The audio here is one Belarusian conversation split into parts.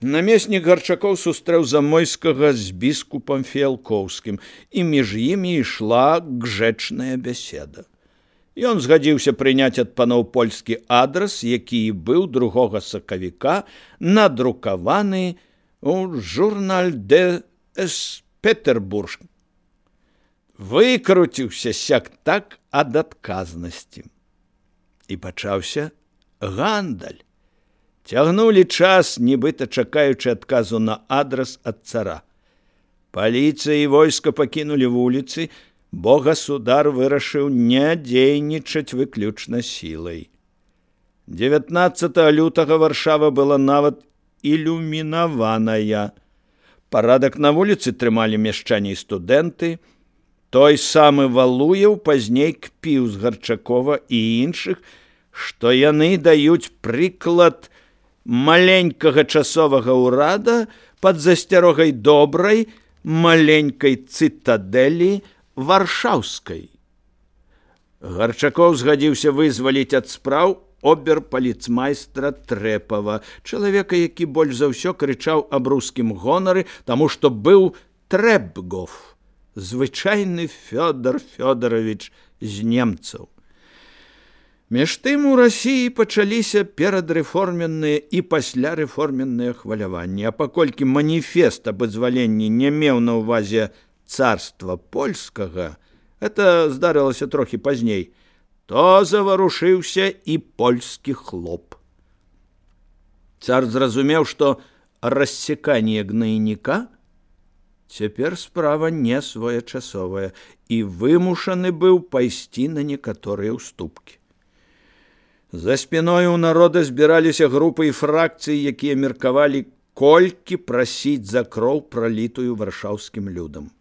Намеснік Гарчакоў сустрэў Замойскага з біскупам Фіялкоўскім, і між імі ішла гжэчная бяседа. Ён згадзіўся прыняць ад паноў польскі адрас, які і быў 2 сакавіка надрукаваны ў журналь де Петербург. Выкруціўся сяк-так ад адказнасці. І пачаўся гандаль. Цягнулі час, нібыта чакаючы адказу на адрас ад цара. Паліцыя і войска пакінулі вуліцы, бо государ вырашыў не дзейнічаць выключна сілай. 19 лютага Варшава была нават ілюмінаваная. Парадак на вуліцы трымалі мяшчане і студэнты. Той самы Валуеў пазней кпіў з Гарчакова і іншых, што яны даюць прыклад маленькага часовага ўрада пад засцярогай добрай маленькай цытадэлі варшаўскай. Гарчакоў згадзіўся вызваліць ад спраў оберпаліцмайстра Трэпава, чалавека, які больш за ўсё крычаў аб рускім гонары, таму што быў Трэпгов, звычайны Фёдор Фёдорович з немцаў. Між тым у Расіі пачаліся перадрэформенныя і паслярэформенныя хваляванні, а паколькі маніфест аб вызваленні не меў на ўвазе царства польскага, это здарылася трохі пазней, то заварушыўся і польскі хлоп. Цар зразумеў, што рассеканне гнайніка цяпер справа не своечасовая, і вымушаны быў пайсці на некаторыя ўступкі. За спіной у народа збіраліся групы і фракцыі, якія меркавалі, колькі прасіць за кроў, пралітую варшаўскім людам.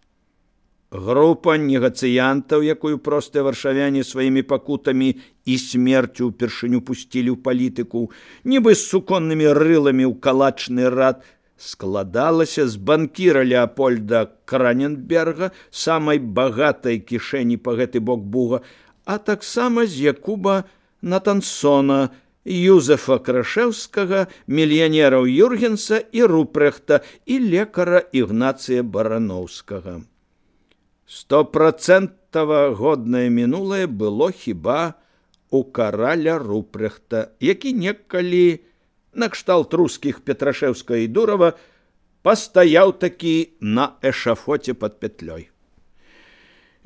Група негацыянтаў, якую простыя варшавяне сваімі пакутамі і смерцю ўпершыню пусцілі ў палітыку, нібы з суконнымі рыламі ў калачны рад, складалася з банкіра Леапольда Краненберга, самай багатай кішэні па гэты бок Буга, а таксама з Якуба Натансона, Юзефа Крашэўскага, мільянераў Юргенса і Рупрехта і лекара Ігнацыя Барановскага. 100% годнае мінулае было хіба у караля Рупрехта, які некалі накшталт рускіх Петрашэўска і Дурава пастаяў такі на эшафоце пад пятлёй.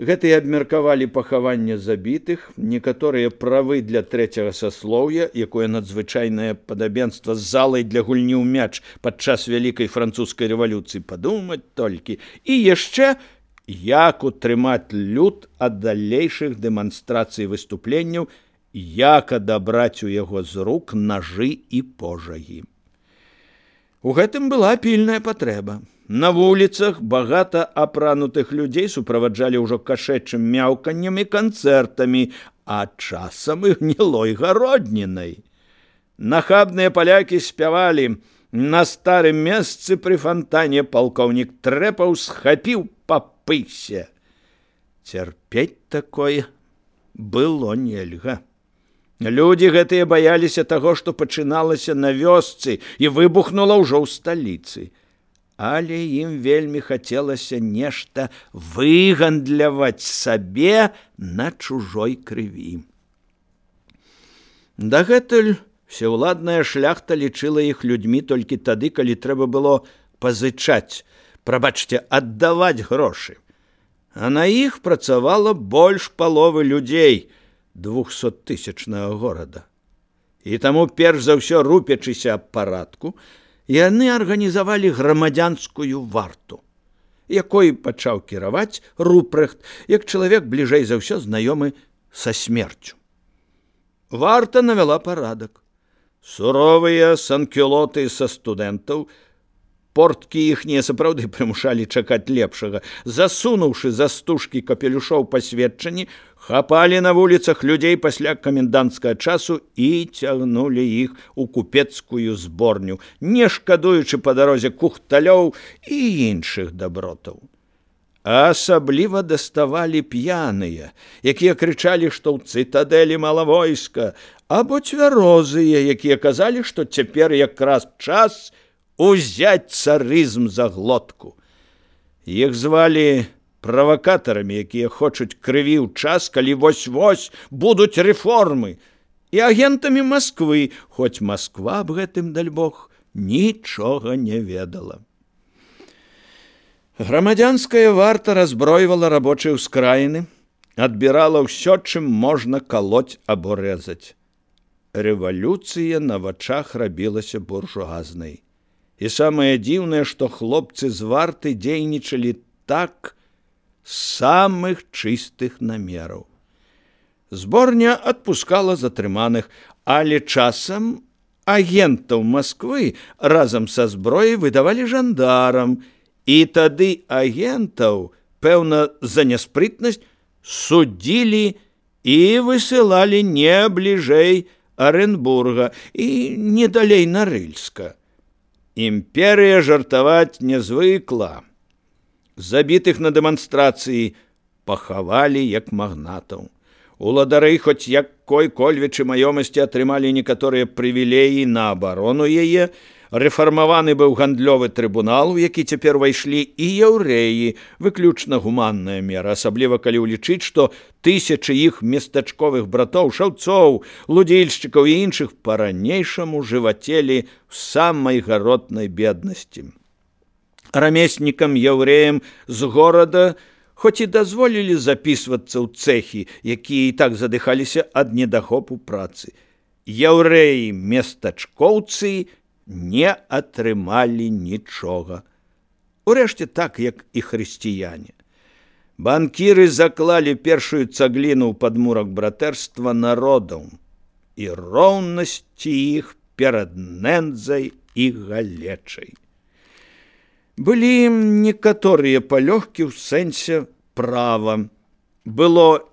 Гэтыя абмеркавалі пахаванне забітых, некаторыя правы для трэцяга саслоўя, якое надзвычайнае падабенства з залай для гульні ў мяч падчас вялікай французскай рэвалюцыі, падумаць толькі, і яшчэ як утрымаць люд ад далейшых дэманстрацый выступленняў, як адабраць у яго з рук нажы і пожагі. У гэтым была пільная патрэба. На вуліцах багата апранутых людзей суправаджалі ўжо кашэчым мяўканнем і канцэртамі, а часам і гнілой гароднінай. Нахабныя палякі спявалі: «На старым месцы пры фантане палкоўнік Трэпаў схапіў па пысе». Цярпець такое было нельга. Людзі гэтыя баяліся таго, што пачыналася на вёсцы і выбухнула ўжо ў сталіцы. Але ім вельмі хацелася нешта выгандляваць сабе на чужой крыві. Дагэтуль всеўладная шляхта лічыла іх людзьмі толькі тады, калі трэба было пазычаць, прабачце, аддаваць грошы. А на іх працавала больш паловы людзей 200-тысячнага горада. І таму, перш за ўсё рупячыся аб парадку, яны арганізавалі грамадзянскую варту, якой пачаў кіраваць Рупрехт, як чалавек бліжэй за ўсё знаёмы са смерцю. Варта навяла парадак. Суровыя санкюлоты са студэнтаў, порткі іхнія сапраўды прымушалі чакаць лепшага, засунуўшы за стужкі капелюшоў пасведчанні, хапалі на вуліцах людзей пасля каменданцкага часу і цягнулі іх у купецкую зборню, не шкадуючы па дарозе кухталёў і іншых дабротаў. Асабліва даставалі п'яныя, якія крычалі, што ў цытадэлі мала войска, або цвярозыя, якія казалі, што цяпер якраз час узяць царызм за глотку. Іх звалі правакатарамі, якія хочуць крыві ў час, калі вось-вось будуць рэформы, і агентамі Масквы, хоць Масква аб гэтым, даль Бог, нічога не ведала. Грамадзянская варта разбройвала рабочыя ўскраіны, адбірала ўсё, чым можна калоць або рэзаць. Рэвалюцыя на вачах рабілася буржуазнай. І самае дзіўнае, што хлопцы з варты дзейнічалі так з самых чыстых намераў. Зборня адпускала затрыманых, але часам агентаў Масквы разам са зброяй выдавалі жандарам, і тады агентаў, пэўна, за няспрытнасць судзілі і высылалі не бліжэй Аренбурга і не далей Нарыльска. Імперыя жартаваць не звыкла. Забітых на дэманстрацыі пахавалі як магнатаў. Уладары хоць якой-кольвічы маёмасці атрымалі некаторыя прывілеі на абарону яе, рэфармаваны быў гандлёвы трыбунал, у які цяпер увайшлі і яўрэі, выключна гуманная мера, асабліва калі ўлічыць, што тысячы іх местачковых братоў, шаўцоў, лудзільшчыкаў і іншых па-ранейшаму жывацелі ў самай гаротнай беднасці. Рамеснікам яўрэям з горада хоць і дазволілі запісвацца ў цэхі, якія і так задыхаліся ад недахопу працы. Яўрэі-местачкоўцы не атрымалі нічога. Урэшце так, як і хрысціяне. Банкіры заклалі першую цагліну ў падмурак братэрства народаў і роўнасці іх перад нэндзай і галечай. Былі некаторыя палёгкі ў сэнсе права. Было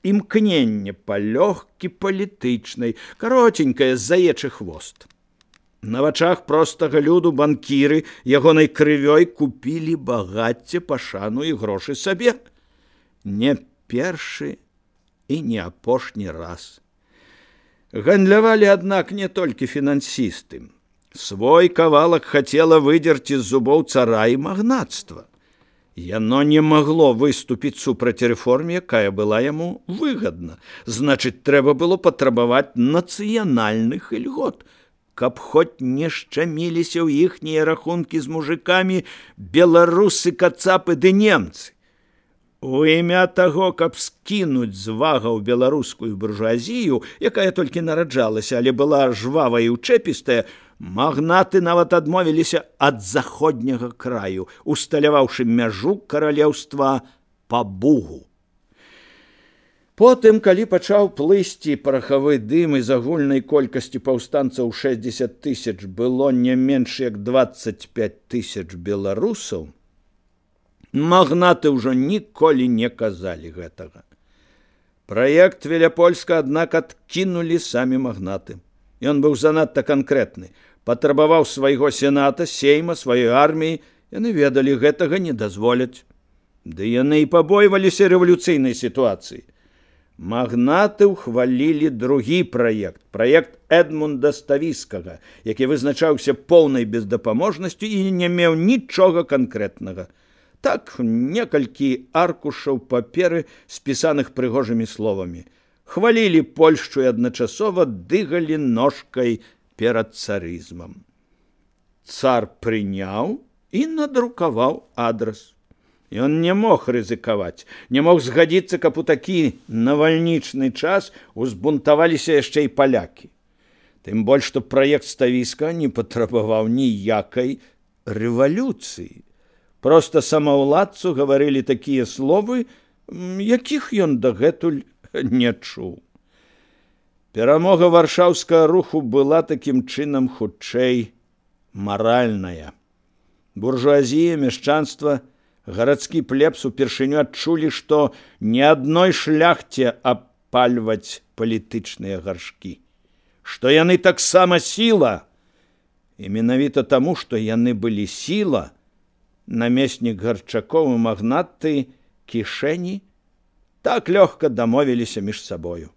імкненне палёгкі палітычнай, каротенькае заечы хвост. На вачах простага люду банкіры ягонай крывёй купілі багацце, пашану і грошы сабе. Не першы і не апошні раз. Гандлявалі, аднак, не толькі фінансісты. Свой кавалак хацела выдзерці з зубоў цара і магнацтва. Яно не магло выступіць супраць рэформе, якая была яму выгадна. Значыць, трэба было патрабаваць нацыянальных ільгот, каб хоць не шчаміліся ў іхнія рахункі з мужикамі беларусы, кацапы ды немцы. У імя таго, каб скінуць з вагаў беларускую буржуазію, якая толькі нараджалася, але была жвавая і ўчэпістая, магнаты нават адмовіліся ад заходняга краю, усталяваўшы мяжу каралеўства па Бугу. Потым, калі пачаў плысці парахавы дым, з агульнай колькасці паўстанцаў 60 000 было не менш як 25 000 беларусаў, магнаты ўжо ніколі не казалі гэтага. Праект Веляпольска, аднак, адкінулі самі магнаты. Ён быў занадта канкрэтны, патрабаваў свайго сената, сейма, сваёй арміі. Яны ведалі, гэтага не дазволяць. Ды яны і пабойваліся рэвалюцыйнай сітуацыі. Магнаты ўхвалілі другі праект, праект Эдмунда Ставіскага, які вызначаўся поўнай бездапаможнасцю і не меў нічога канкрэтнага. Так, некалькі аркушаў паперы, спісаных прыгожымі словамі. Хвалілі Польшчу і адначасова дыгалі ножкай перад царызмам. Цар прыняў і надрукаваў адрас. Ён не мог рызыкаваць, не мог згадзіцца, каб у такі навальнічны час узбунтаваліся яшчэ і палякі. Тым больш, што праект Ставіска не патрабаваў ніякай рэвалюцыі. Проста самаўладцу гаварылі такія словы, якіх ён дагэтуль не чуў. Перамога варшаўскага руху была такім чынам хутчэй маральная. Буржуазія, мяшчанства, гарадскі плебс упершыню адчулі, што не адной шляхце абпальваць палітычныя гаршкі, што яны таксама сіла. І менавіта таму, што яны былі сіла, намеснік Гарчакоў і магнаты Кішэні так лёгка дамовіліся між сабою.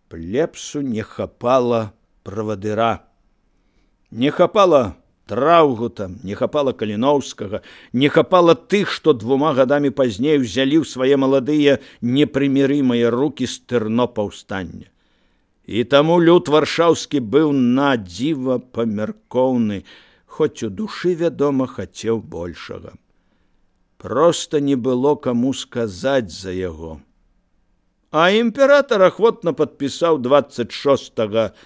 Плебсу не хапала правадыра, не хапала Траўгута, не хапала Каліноўскага, не хапала тых, што 2 гадамі пазней узялі ў свае маладыя непрымірымыя рукі стырно паўстання. І таму люд варшаўскі быў надзіва памяркоўны, хоць у душы, вядома, хацеў большага. Проста не было каму сказаць за яго. А імператар ахвотна падпісаў 26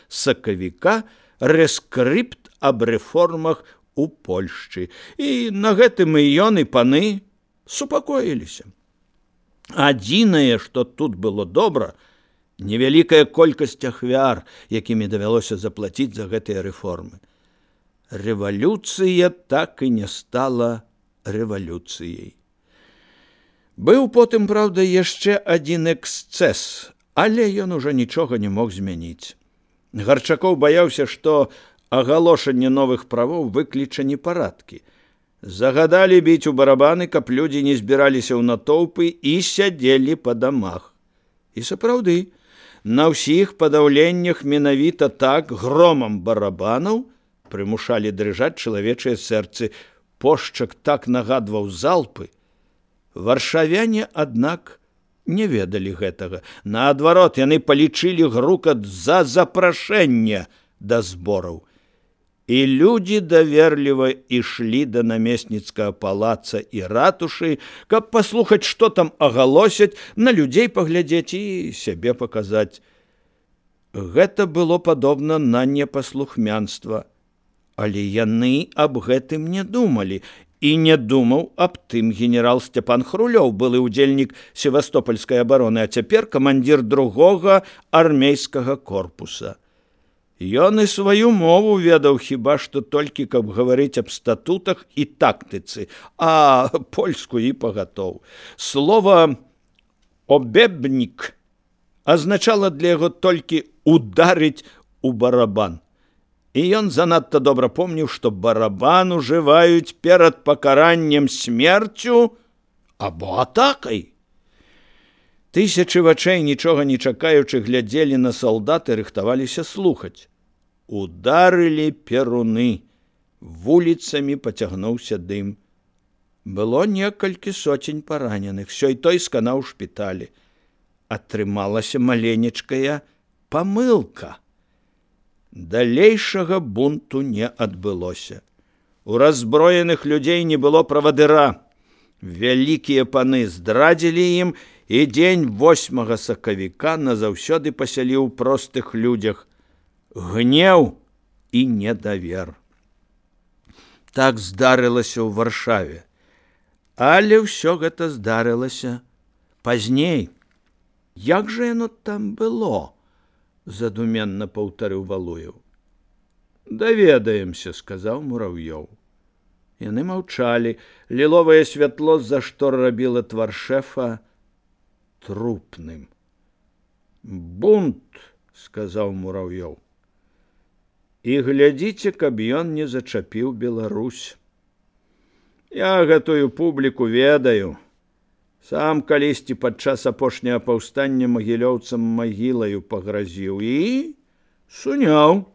сакавіка рэскрыпт аб рэформах у Польшчы. І на гэтым і ён, і паны супакоіліся. Адзінае, што тут было добра, невялікая колькасць ахвяр, якімі давялося заплаціць за гэтыя рэформы. Рэвалюцыя так і не стала рэвалюцыяй. Быў потым, праўда, яшчэ адзін эксцэс, але ён ужо нічога не мог змяніць. Гарчакоў баяўся, што агалошанне новых правоў выкліча непарадкі. Загадалі біць у барабаны, каб людзі не збіраліся ў натоўпы і сядзелі па дамах. І сапраўды, на ўсіх падаўленнях менавіта так громам барабанаў прымушалі дрыжаць чалавечыя сэрцы. Пошчак так нагадваў залпы. Варшавяне, аднак, не ведалі гэтага. Наадварот, яны палічылі грукат за запрашэнне да збораў. І людзі даверліва ішлі да намесніцкага палаца і ратушы, каб паслухаць, што там агалосяць, на людзей паглядзець і сябе паказаць. Гэта было падобна на непаслухмянства. Але яны аб гэтым не думалі, і не думаў аб тым генерал Сцяпан Хрулёў, былы ўдзельнік севастопольскай абароны, а цяпер камандзір 2-го армейскага корпуса. Ён і сваю мову ведаў хіба што толькі, каб гаварыць аб статутах і тактыцы, а польскую і пагатоў. Слова «обебнік» азначала для яго толькі «ударыць у барабан». І ён занадта добра помніў, што барабан ужываюць перад пакараннем смерцю або атакай. Тысячы вачэй, нічога не чакаючы, глядзелі на салдат і рыхтаваліся слухаць. Ударылі перуны, вуліцамі пацягнуўся дым. Было некалькі соцень параненых, сёй той сканаў у шпіталі. Атрымалася маленечкая памылка. Далейшага бунту не адбылося. У раззброеных людзей не было правадыра. Вялікія паны здрадзілі ім, і дзень 8 сакавіка назаўсёды пасяліў простых людзях гнеў і недавер. Так здарылася ў Варшаве. Але ўсё гэта здарылася пазней. Як жа яно там было? Задуменна паўтарыў Валуеў. Даведаемся, сказаў Мурав'ёў. Яны маўчалі. Ліловае святло з-за штор рабіла твар шэфа трупным. Бунт, сказаў Мурав'ёў. І глядзіце, каб ён не зачапіў Беларусь. Я гэтую публіку ведаю. Сам калісьці падчас апошняга паўстання магілёўцам магілаю пагразіў і суняў.